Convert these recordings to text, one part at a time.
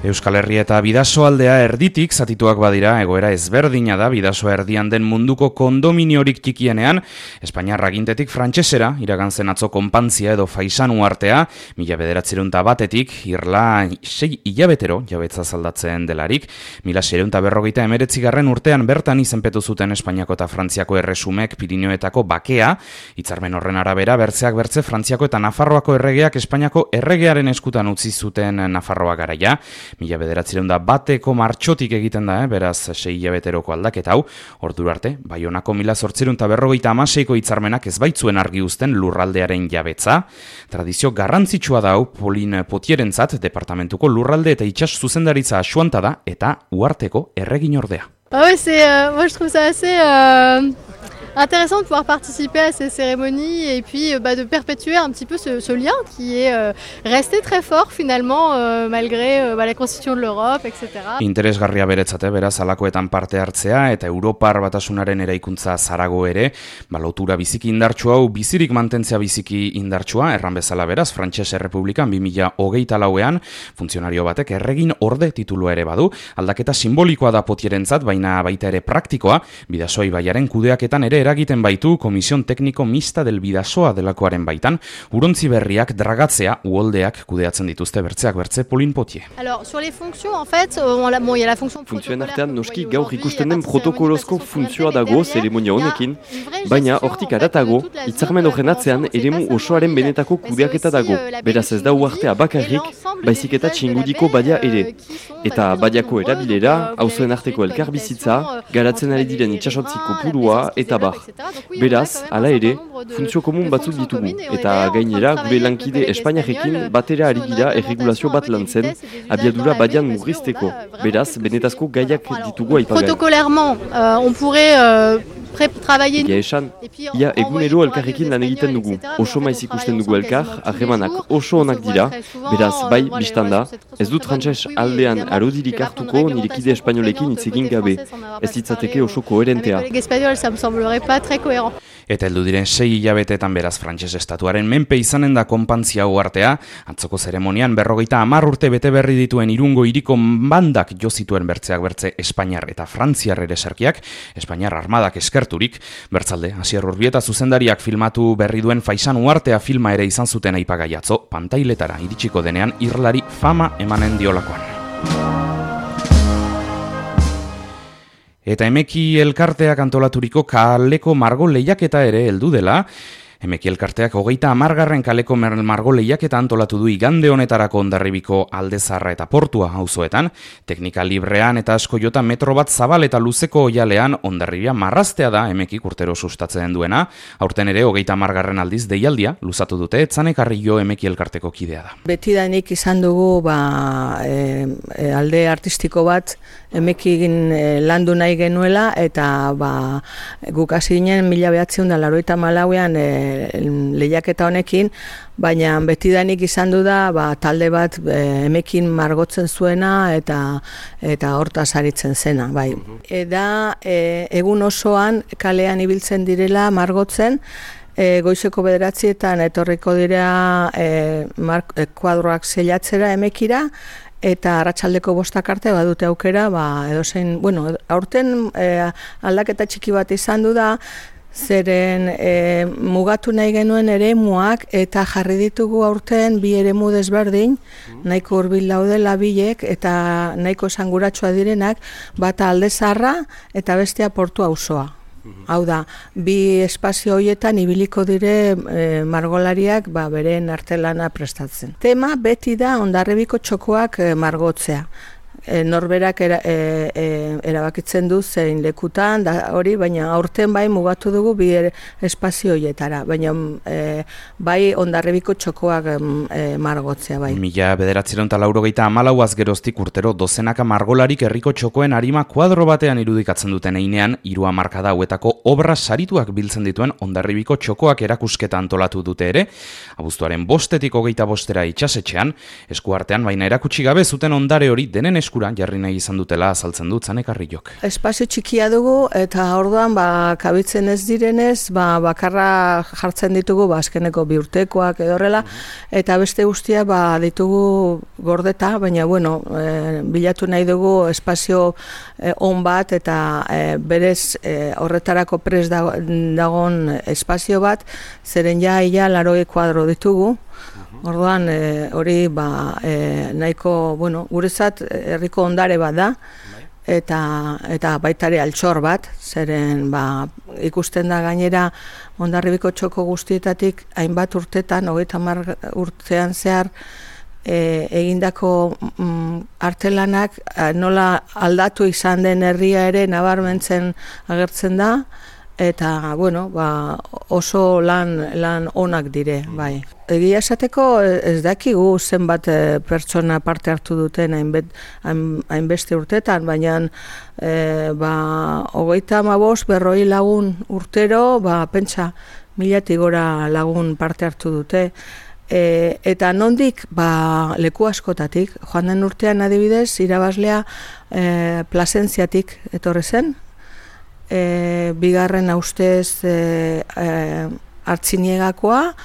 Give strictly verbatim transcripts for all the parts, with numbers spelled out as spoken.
Euskal Herria eta Bidasoaldea erditik zatituak badira, egoera ezberdina da Bidasoa erdian den munduko kondominiorik txikienean, Espainiar agintetik frantsesera iragan zen atzo konpantzia edo faisanu artea, mila bederatziehun eta batetik, irla sei hilabetero jabetza zaldatzen delarik, mila seiehun eta berrogeita hemeretzigarren urtean bertan izenpetu zuten Espainiako eta Frantziako erresumek Pirinioetako bakea, hitzarmen horren arabera bertzeak bertze Frantziako eta Nafarroako erregeak Espainiako erregearen eskutan utzi zuten Nafarroa garaia, mila bederatziehun eta bateko martxotik egiten da, eh? Beraz sei hilabeteroko aldaketa hau, ordura arte, Baionako mila zortziehun eta berrogeita hamaseiko hitzarmenak ez baitzuen argi uzten lurraldearen jabetza. Tradizio garrantzitsua da hau Polin Potierentzat, departamentuko lurralde eta itsas zuzendaritza asuanta da eta uharteko erregin ordea. Ah ouais, c'est, euh, moi je trouve ça assez euh, intéressant de pouvoir participer à ces cérémonies et puis euh, bah, de perpétuer un petit peu ce, ce lien qui est euh, resté très fort finalement euh, malgré euh, bah, la constitution de l'Europe, et cetera. Interesgarria beretzate, beraz, alakoetan parte hartzea eta Europar batasunaren eraikuntza zarago ere, ba, lotura biziki indartsu hau bizirik mantentzea biziki indartsua, erran bezala beraz, Frantses Errepublikan bi mila hogeita lauean, funtzionario batek erregin orde titulua ere badu, aldaketa simbolikoa da Potierentzat, baina baita ere praktikoa, Bidasoa ibaiaren kudeaketan ere eragiten baitu Komision Tekniko Mixta del Bidasoa delakoaren baitan, urontzi berriak dragatzea uholdeak kudeatzen dituzte bertzeak bertze Polin Potier. Alors, sur les fonctions, en fait, on a, bon, il y a la fonction funtzioen artean noski gaur ikusten den protokolozko funtzioa dago zeremonia honekin, baina hortik aratago, hitzarmen horren atzean eremu osoaren benetako kudeaketa dago, beraz ez da uhartea bakarrik, baizik eta txingudiko badia ere. Eta badiako erabilera, auzoen arteko elkarbizitza, garatzen ari diren itsasotzi kopurua eta bar. Beraz, hala ere, funtzio komun batzuk ditugu, eta gainera gure lankide Espainiarekin batera ari gira erregulazio bat lantzen, abiadura badian murrizteko. Beraz, benetazko gaiak ditugu aipagai. Protocolairement, euh, on pourrait euh, travailler. Egia esan, ia egunero elkarrekin lan egiten dugu, oso maiz ikusten dugu elkar, harremanak oso onak dira, beraz, bai, biztanda, ez dut frantses aldean arodirik hartuko nire kide espainolekin hitz egin gabe, ez ditzateke oso koherentea. Eta heldu diren sei hilabetetan beraz Frantses estatuaren menpe izanen da konpantzia uhartea, atzoko zeremonian berrogeita hamar urte bete berri dituen Irungo hiriko bandak jo zituen bertzeak bertze Espainiar eta Frantziar ereserkiak, Espainiar armadak eskerturik, bertzalde, Asier Urbieta zuzendariak filmatu berri duen Faisan uhartea filma ere izan zuten aipagai atzo, pantailetara iritsiko denean irlari fama emanen diolakoan. Eta Emeki elkarteak antolaturiko kaleko margo lehiaketa ere heldu dela, Emeki elkarteak hogeita hamargarren kaleko margo lehiaketa antolatu du igande honetarako Hondarribiko Aldezarra eta Portua auzoetan, teknika librean eta asko jota metro bat zabal eta luzeko oialean Hondarribia marraztea da Emekik urtero sustatzen duena, aurten ere hogeita hamargarren aldiz deialdia luzatu dute, Etzanek Arrillo Emeki elkarteko kidea da. Betidanik izan dugu ba, e, e, alde artistiko bat Emekin e, landu nahi genuela eta ba, guk hasi ginen mila behatziehun eta laurogeita hamalauean e, lehiaketa honekin, baina betidanik izan du da ba, talde bat e, Emekin margotzen zuena eta eta hortaz aritzen zena. Bai. Eta e, egun osoan kalean ibiltzen direla margotzen, e, goizeko bederatzietan etorriko dira e, mark, e, kuadroak zeilatzera Emekira, eta arratsaldeko bostak arte badute aukera, ba, edozein, bueno, aurten e, aldaketa txiki bat izan du da, zeren e, mugatu nahi genuen eremuak eta jarri ditugu aurten bi eremu desberdin, nahiko hurbil daudela bilek eta nahiko esanguratsua direnak, bata Aldezarra eta bestea Portu auzoa. Hau da, bi espazio horietan ibiliko dire e, margolariak ba, beren artelana prestatzen. Tema beti da Hondarribiko txokoak e, margotzea. E, norberak era, e, e, erabakitzen du zein lekutan, da hori, baina aurten bai mugatu dugu bi espazio horietara, baina e, bai Hondarribiko txokoak e, margotzea bai. Mila bederatziehun eta laurogeita hamalauaz geroztik urtero dozenaka margolarik herriko txokoen arima kuadro batean irudikatzen duten einean, hiru hamarkada hauetako obra sarituak biltzen dituen Hondarribiko txokoak erakusketa antolatu dute ere, abuztuaren bostetik hogeita bostera itsasetxean, eskuartean baina erakutsi gabe zuten ondare hori denen esku eskura jarri nahi izan dutela azaltzen dut Zanekarriok. Espazio txikia dugu eta orduan ba, kabitzen ez direnez ba, bakarra jartzen ditugu ba, azkeneko bi urtekoak edo horrela, eta beste guztia ba, ditugu gordeta, baina bueno, e, bilatu nahi dugu espazio e, on bat eta e, berez e, horretarako pres dagoen espazio bat, zeren ja ia larogei kuadro ditugu. Orduan hori ba, e, nahiko, bueno, guretzat herriko ondare bat da, eta, eta baitare altxor bat, zeren ba, ikusten da gainera Hondarribiko txoko guztietatik hainbat urtetan, hogeita hamar urtean zehar, e, egindako mm, artelanak nola aldatu izan den herria ere nabarmentzen agertzen da, eta bueno, ba, oso lan, lan onak dire, bai. Egia esateko ez dakigu zenbat e, pertsona parte hartu duten hainbet, hain, hainbeste urtetan, baina e, ba, hogeita hamabost berroi lagun urtero, ba, pentsa milatik gora lagun parte hartu dute. E, eta nondik ba, leku askotatik, joan den urtean adibidez, irabaslea e, Plasentziatik etorri zen, E, bigarren ustez e, e, Artziniagakoa,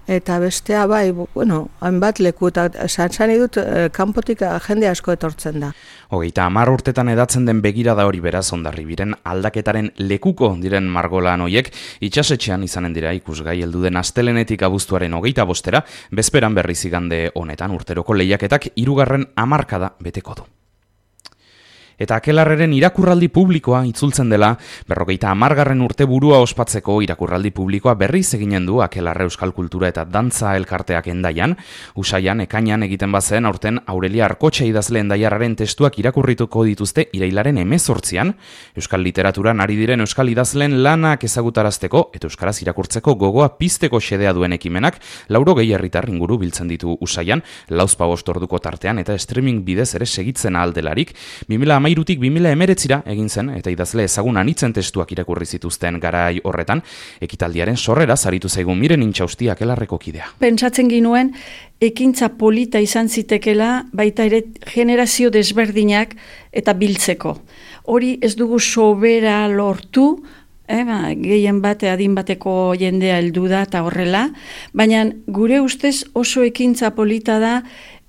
eta bestea bai, bueno, hainbat leku, eta zantzani dut e, kanpotik jende asko etortzen da. Hogeita hamar urtetan edatzen den begirada hori beraz Hondarribiren aldaketaren lekuko diren margolan hoiek itsasetxean izanen dira ikusgai heldu den astelenetik abuztuaren hogeita bostera, bezperan berriz igande honetan urteroko lehiaketak hirugarren hamarkada beteko du. Eta Akelarreren irakurraldi publikoa itzultzen dela, berrogeita hamargarren urte burua ospatzeko irakurraldi publikoa berriz eginen du Akelarre Euskal Kultura eta Dantza elkarteak Hendaian. Usaian, ekainan egiten bazen aurten Aurelia Arkotxa idazle hendaiarraren testuak irakurrituko dituzte irailaren hemezortzian, Euskal Literaturan ari diren Euskal idazleen lanak ezagutarazteko eta euskaraz irakurtzeko gogoa pizteko xedea duen ekimenak, laurogei herritar inguru biltzen ditu Usaian, lauzpabost orduko tartean eta streaming bidez ere segitzen ahaldelarik, bi mila hamairutik bi mila hemeretzira egin zen eta idazle ezagun anitzen testuak irakurri zituzten garai horretan, ekitaldiaren sorrera zaritu zaigun Miren Intxausti Akelarreko kidea. Pentsatzen ginuen, ekintza polita izan zitekela baita ere generazio desberdinak eta biltzeko. Hori ez dugu sobera lortu, eh, ba, gehien bate adin bateko jendea heldu da eta horrela, baina gure ustez oso ekintza polita da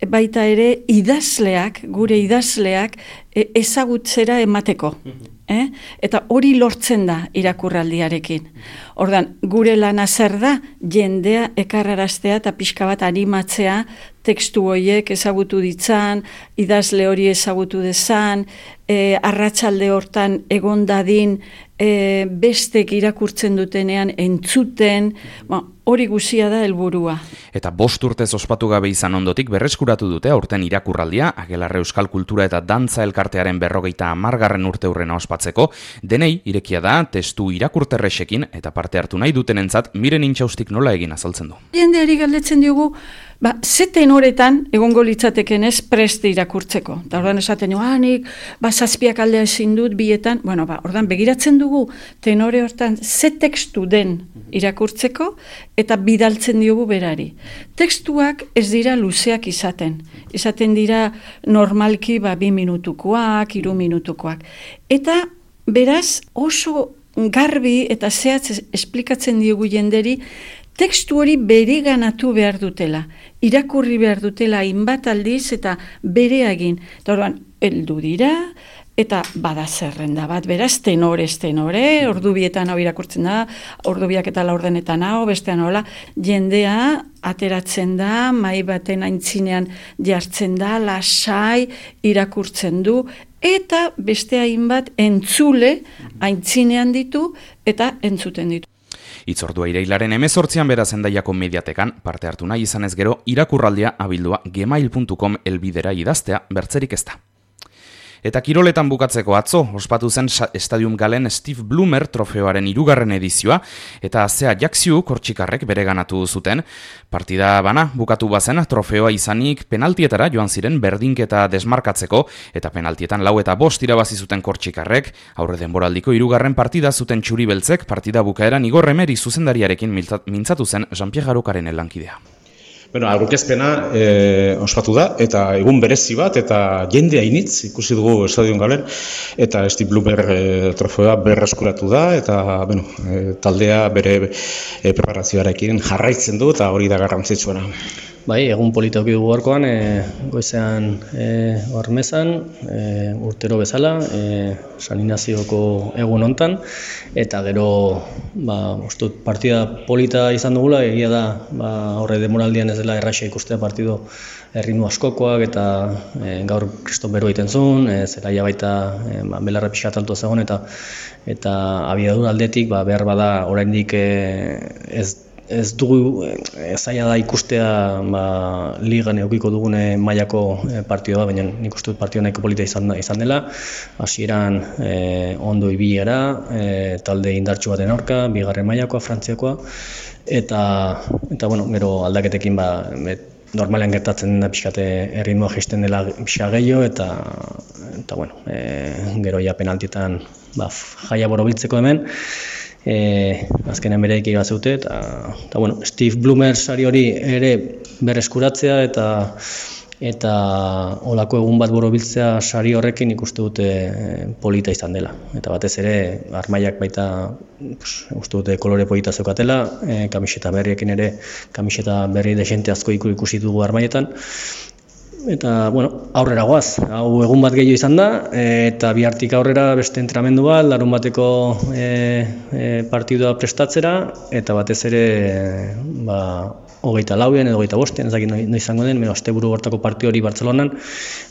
baita ere idazleak, gure idazleak ezagutzera emateko. Eh? Eta hori lortzen da irakurraldiarekin. Ordan, gure lana zer da, jendea ekarraraztea eta pixka bat animatzea, tekstu horiek ezagutu ditzan, idazle hori ezagutu dezan, e, arratsalde hortan egon dadin, e, bestek irakurtzen dutenean entzuten, ba, hori guzia da helburua. Eta bost urtez ospatu gabe izan ondotik berreskuratu dute aurten irakurraldia, Akelarre Euskal Kultura eta Dantza elkartearen berrogeita hamargarren urte hurrena ospatzeko, denei irekia da testu irakurterrexekin eta parte hartu nahi dutenentzat Miren Intxaustik nola egin azaltzen du. Jendeari galdetzen diogu, ba, ze tenoretan egongo litzateken ez preste irakurtzeko. Eta ordan esaten du, ah, nik, ba, zazpiak aldea ezin dut bietan, bueno, ba, ordan begiratzen dugu tenore hortan ze tekstu den irakurtzeko eta bidaltzen diogu berari. Tekstuak ez dira luzeak izaten. Izaten dira normalki ba, bi minutukoak, hiru minutukoak. Eta beraz oso garbi eta zehatz esplikatzen diogu jenderi tekstu hori bereganatu behar dutela, irakurri behar dutela hainbat aldiz eta bere egin. Eta orduan, heldu dira, eta bada zerrenda bat, beraz, tenorez tenore, ordu bietan hau irakurtzen da, ordu biak eta laurdenetan hau, bestean hola, jendea ateratzen da, mai baten aintzinean jartzen da, lasai irakurtzen du, eta beste hainbat entzule aintzinean ditu eta entzuten ditu. Itzordua irailaren hemezortzian beraz Hendaiako mediatekan parte hartu nahi izanez gero irakurraldia abildua gmail puntu com elbidera idaztea bertzerik ez da. Eta kiroletan bukatzeko atzo, ospatu zen Stadium Galen Steve Bloomer trofeoaren hirugarren edizioa, eta Zea Jaksiu kortxikarrek bereganatu zuten. Partida bana bukatu bazen trofeoa izanik penaltietara joan ziren berdinketa desmarkatzeko, eta penaltietan lau eta bost irabazi zuten kortxikarrek, aurre denboraldiko hirugarren partida zuten txuri beltzek, partida bukaeran Igor Remeri zuzendariarekin mintzatu zen Jean-Pierre Garokaren lankidea. Bueno, aurkezpena e, ospatu da, eta egun berezi bat, eta jende hainitz ikusi dugu Estadion Galen, eta Steve Blumer e, trofeoa berreskuratu da, eta bueno, e, taldea bere e, preparazioarekin jarraitzen du, eta hori da garrantzitsuena. Bai, egun politoki dugu gaurkoan, e, goizean e, hormezan, e, urtero bezala, e, San Inazioko egun hontan, eta gero ba, ustut, partida polita izan dugula, egia da ba, horre demoraldian ez dela erraxa ikustea partido erritmo askokoak, eta e, gaur kriston bero egiten zuen, e, zelaia baita e, ba, belarra pixka tanto zegoen, eta, eta abiadura aldetik ba, behar bada oraindik e, ez Ez dugu zaila da ikustea ba, ligan eukiko dugune mailako partioa, baina nik uste dut partio nahiko polita izan, izan dela. Hasieran e, ondo ibiera, e, talde indartsu baten aurka, bigarren mailakoa, frantziakoa, eta, eta bueno, gero aldaketekin ba, normalean gertatzen da pixkate erritmoa jaisten dela pixka gehiago, eta, eta bueno, e, gero ja penaltietan ba, jaia borobiltzeko hemen. E, azkenean bere ekiba zeute, eta, eta bueno, Steve Blumer sari hori ere berreskuratzea, eta eta olako egun bat borobiltzea sari horrekin ikuste dute polita izan dela. Eta batez ere, armaiak baita pues, uste dute kolore polita zeukatela, e, kamiseta berriekin ere, kamiseta berri desente asko ikusi dugu armaietan. Eta, bueno, aurrera goaz, hau egun bat gehiago izan da, eta bihartik aurrera beste entrenamendu bat, larun bateko e, e, partidua prestatzera, eta batez ere, ba, hogeita lauean edo hogeita bostean, ez dakit no izango den, meno, asteburu hortako partio hori Bartzelonan,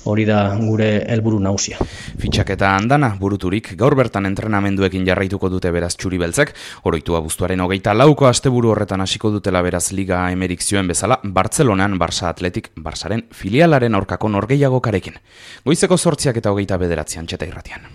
hori da gure helburu nagusia. Fitxaketa andana buruturik, gaur bertan entrenamenduekin jarraituko dute beraz txuri beltzek, oroitu abuztuaren hogeita lauko asteburu horretan hasiko dutela beraz Liga Emerik zioen bezala, Bartzelonan Barça Athletic Barsaren filialaren aurkako norgehiagokarekin. Goizeko zortziak eta hogeita bederatzian txeta irratian.